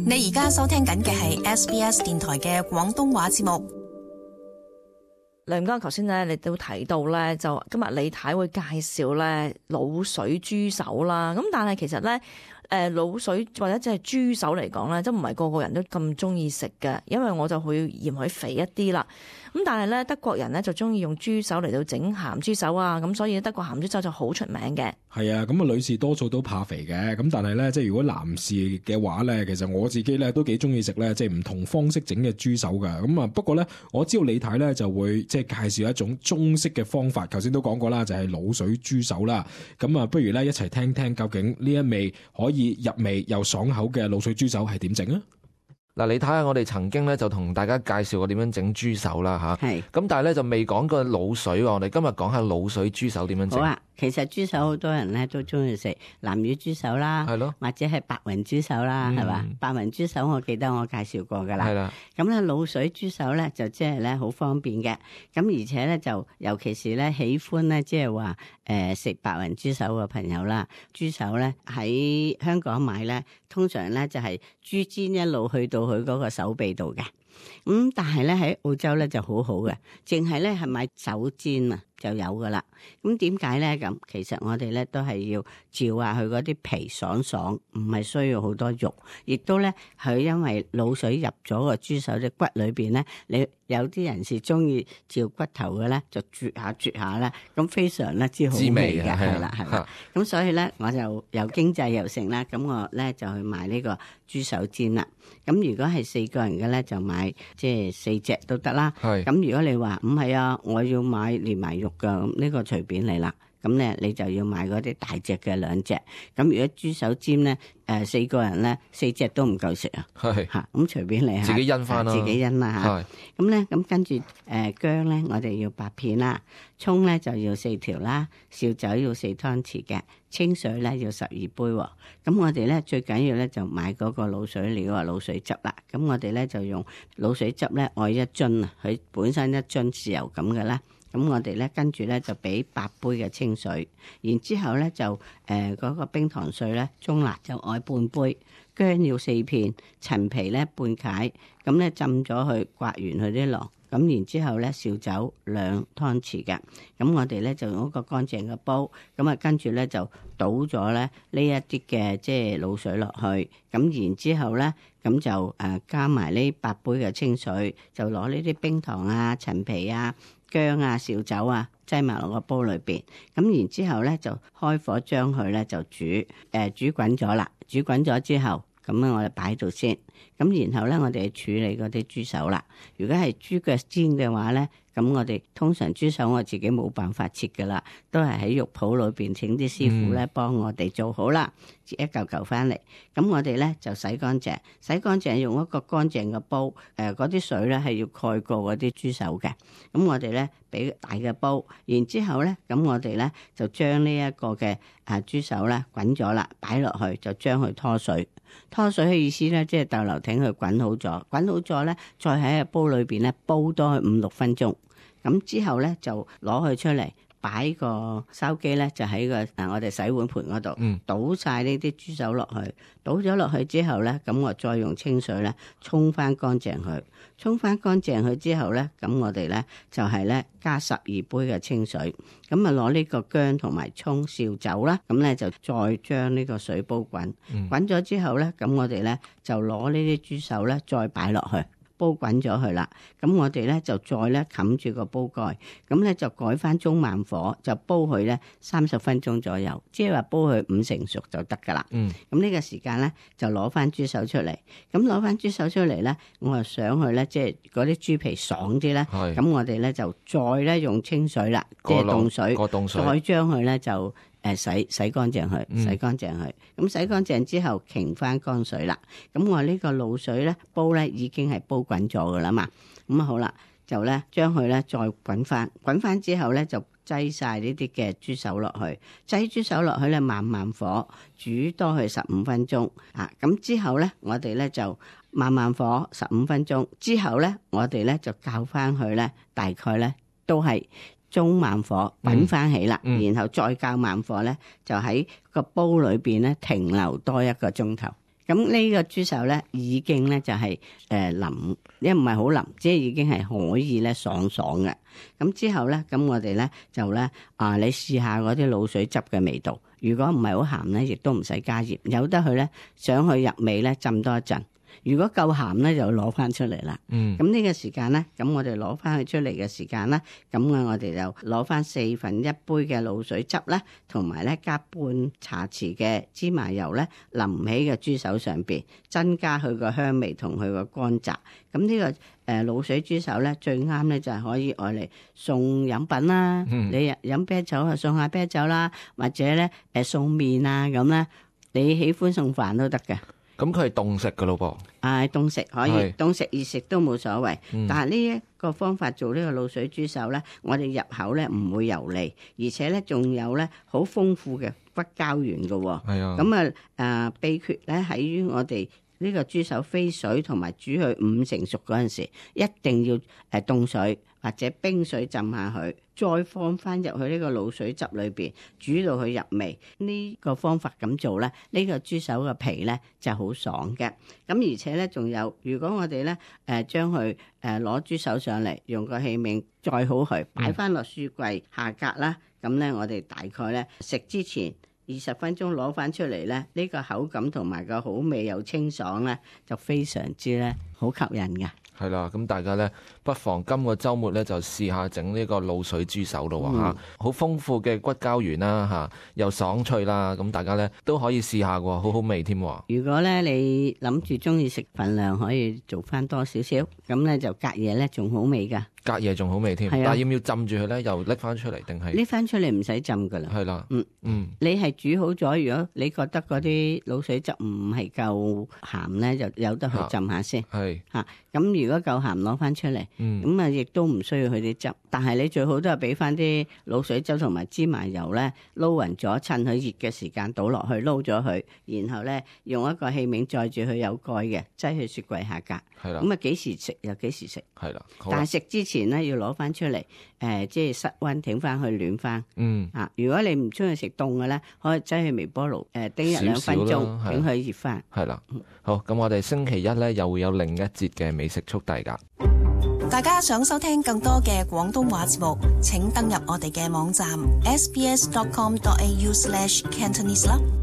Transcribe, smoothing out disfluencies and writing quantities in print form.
你而家收聽緊嘅係 SBS 電台嘅廣東話節目。梁哥，頭先咧你都提到咧，就今日李太會介紹咧滷水豬手啦。咁但係其實咧，滷水或者即係豬手嚟講咧，都唔係個個人都咁中意食嘅，因為我就會嫌佢肥一啲啦。咁但係咧，德國人咧就中意用豬手嚟到整鹹豬手啊，咁所以德國鹹豬手就好出名嘅。係啊，咁啊女士多數都怕肥嘅，咁但係咧，即係如果男士嘅話咧，其實我自己咧都幾中意食咧，即係唔同方式整嘅豬手噶。咁啊，不過咧，我知道李太咧就會即係介紹一種中式嘅方法，頭先都講過啦，就係滷水豬手啦。咁啊，不如咧一齊聽聽究竟呢一味可以入味又爽口嘅滷水豬手係點整啊？嗱，你睇下我哋曾經咧就同大家介紹過點樣整豬手啦嚇，係咁但係咧就未講過滷水喎。我哋今日講下滷水豬手點樣整。好啊，其實豬手好多人咧都中意食南乳豬手啦，係咯，或者係白雲豬手啦，係嘛？白雲豬手我記得我介紹過㗎啦。係啦，咁咧滷水豬手咧就即係咧好方便嘅，咁而且咧就尤其是咧喜歡咧即係話食白雲豬手嘅朋友啦，豬手咧喺香港買咧，通常咧就係豬肩一路去到佢嗰個手臂度嘅。但係咧喺澳洲咧就好好嘅，淨係咧係買手肩啊就有噶啦。咁點解咧？咁其實我哋咧都係要照下佢嗰啲皮爽爽，唔係需要好多肉，亦都咧佢因為滷水入咗個豬手隻骨裏邊咧，你有啲人是中意照骨頭嘅咧，就啜下咧，咁非常咧之好味嘅，係啦係啦。咁所以咧我就又經濟又成啦，咁我咧就去買呢個豬手肩啦。咁如果係4個人嘅咧，就買即係4隻都得啦。咁如果你話唔係啊，我要買連埋肉噶，咁呢個隨便你啦。咁咧你就要買嗰啲大隻嘅2隻。咁如果豬手尖咧，4個人咧4隻都唔夠食啊。係嚇，咁隨便你自己因翻啦，自己因啦嚇。咁咧咁跟住薑咧，我哋要8片啦，葱咧就要4條啦，紹酒要4湯匙嘅，清水咧要12杯喎。咁我哋咧最緊要咧就買嗰個滷水料啊，滷水汁啦。咁我哋咧就用滷水汁咧愛1樽啊，佢本身1樽豉油咁嘅啦。咁我哋咧跟住咧就俾8杯嘅清水，然之後咧就嗰個冰糖水咧中辣就愛半杯，薑要4片，陳皮咧半解，咁咧浸咗佢刮完佢啲囊，咁然之後咧紹酒2湯匙嘅，咁我哋咧就用一個乾淨嘅煲，咁啊跟住咧就倒咗咧呢一啲嘅即係滷水落去，咁然之後咧咁就加埋呢8杯嘅清水，就攞呢啲冰糖啊、陳皮啊、薑啊、紹酒啊，擠埋落個煲裏邊，咁然之後咧就開火將佢咧就煮滾咗啦，煮滾咗之後，咁我哋擺喺度先，咁然後咧我哋處理嗰啲豬手啦。如果係豬腳煎嘅話咧，咁我哋通常豬手我自己冇辦法切噶啦，都係喺肉鋪裏邊請啲師傅咧幫我哋做好啦，切一嚿嚿翻嚟。咁我哋咧就洗乾淨，用一個乾淨嘅煲，嗰啲水咧係要蓋過嗰啲豬手嘅。咁我哋咧俾大嘅煲，然之後咧咁我哋咧就將呢一個嘅豬手咧滾咗啦，擺落去就將佢拖水。拖水嘅意思咧，即係逗留挺佢滾好咗咧，再喺個煲裏邊咧煲多佢5-6分鐘。咁之後咧就攞佢出嚟，擺個筲箕咧就喺個我哋洗碗盤嗰度，倒晒呢啲豬手落去，倒咗落去之後咧，咁我再用清水咧沖翻乾淨佢之後咧，咁我哋咧就係咧加12杯嘅清水，咁啊攞呢個薑同埋葱、紹酒啦，咁咧就再將呢個水煲滾，滾咗之後咧，咁我哋咧就攞呢啲豬手咧再擺落去。煲滾咗佢啦，咁我哋咧就再咧冚住個煲蓋，咁咧就改翻中慢火，就煲佢咧30分鐘左右，即係話煲佢5成熟就得噶啦。咁呢個時間咧就攞翻豬手出嚟，咁攞翻豬手出嚟咧，我就想佢咧即係嗰啲豬皮爽啲咧，咁我哋咧就再咧用清水啦，即係凍水，再將佢咧就洗乾淨佢，咁洗乾淨之後擎翻乾水啦。咁我呢個滷水咧煲咧已經係煲滾咗噶啦嘛。咁好啦，就咧將佢咧再滾翻之後咧就擠晒呢啲嘅豬手落去，擠豬手落去咧慢火煮多佢15分鐘啊。咁之後咧我哋咧就慢火15分鐘之後咧我哋咧就校翻佢咧大概咧都係中慢火滾翻起啦，然後再較慢火咧，就喺個煲裏邊咧停留多1個鐘頭。咁呢個豬手咧已經咧就係腍，因為唔係好腍，即係已經係可以咧爽爽嘅。咁之後咧，咁我哋咧就咧你試下嗰啲滷水汁嘅味道。如果唔係好鹹咧，亦都唔使加鹽，由得佢咧想去入味咧浸多一陣。如果夠鹹咧，就攞翻出嚟啦。咁呢個時間咧，咁我哋攞翻佢出嚟嘅時間咧，咁我哋就攞翻4分1杯嘅滷水汁咧，同埋咧加半茶匙嘅芝麻油咧，淋喺個豬手上邊，增加佢個香味同佢個乾雜。咁呢個滷水豬手咧，最啱咧就係可以愛嚟送飲品啦。你飲啤酒啊，送下啤酒啦，或者咧送麵啊咁咧，你喜歡送飯都得嘅。咁佢係凍食㗎咯噃，凍食可以，凍食熱食都冇所謂。但係呢一個方法做呢個滷水豬手咧，我哋入口咧唔會油膩，而且咧仲有咧好豐富嘅骨膠原嘅。係啊，咁秘訣咧喺於我哋呢個豬手飛水同埋煮佢5成熟嗰陣時，一定要凍水或者冰水浸下佢，再放翻入去呢個滷水汁裏邊煮到佢入味。呢個方法咁做咧，呢個豬手嘅皮咧就好爽嘅。咁而且咧仲有，如果我哋咧將佢攞豬手上嚟，用個器皿載好佢，擺翻落書櫃下格啦。咁咧我哋大概咧食之前20分鐘攞翻出嚟咧，呢個口感同埋個好味又清爽咧，就非常之咧好吸引嘅。係啦，咁大家咧不妨今個週末咧就試下整呢個滷水豬手咯嚇，好豐富嘅骨膠原啦嚇，又爽脆啦，咁大家咧都可以試下喎，好好味添。如果咧你諗住中意食份量，可以做翻多少少，咁咧就隔夜咧仲好味噶。隔夜仲好味添，但係要唔要浸住佢咧？又拎翻出嚟定係？拎翻出嚟唔使浸噶啦。係啦，你係煮好咗，如果你覺得嗰啲滷水汁唔係夠鹹咧，就由得佢浸下先。係嚇，咁如果夠鹹攞翻出嚟，咁啊亦都唔需要佢啲汁。但係你最好都係俾翻啲滷水汁同埋芝麻油咧撈勻咗，趁佢熱嘅時間倒落去撈咗佢，然後咧用一個器皿載住佢有蓋嘅，擠去雪櫃下格。係啦，咁啊幾時食又幾時食。係啦，但係食之前咧要攞翻出嚟，即係室溫整翻去暖翻。如果你唔中意食凍嘅咧，可以擠去微波爐叮1-2分鐘，等佢熱翻。係啦，好，咁我哋星期一咧又會有另一節嘅美食速遞㗎。大家想收聽更多嘅廣東話節目，請登入我哋嘅網站 sbs.com.au/cantonese 啦。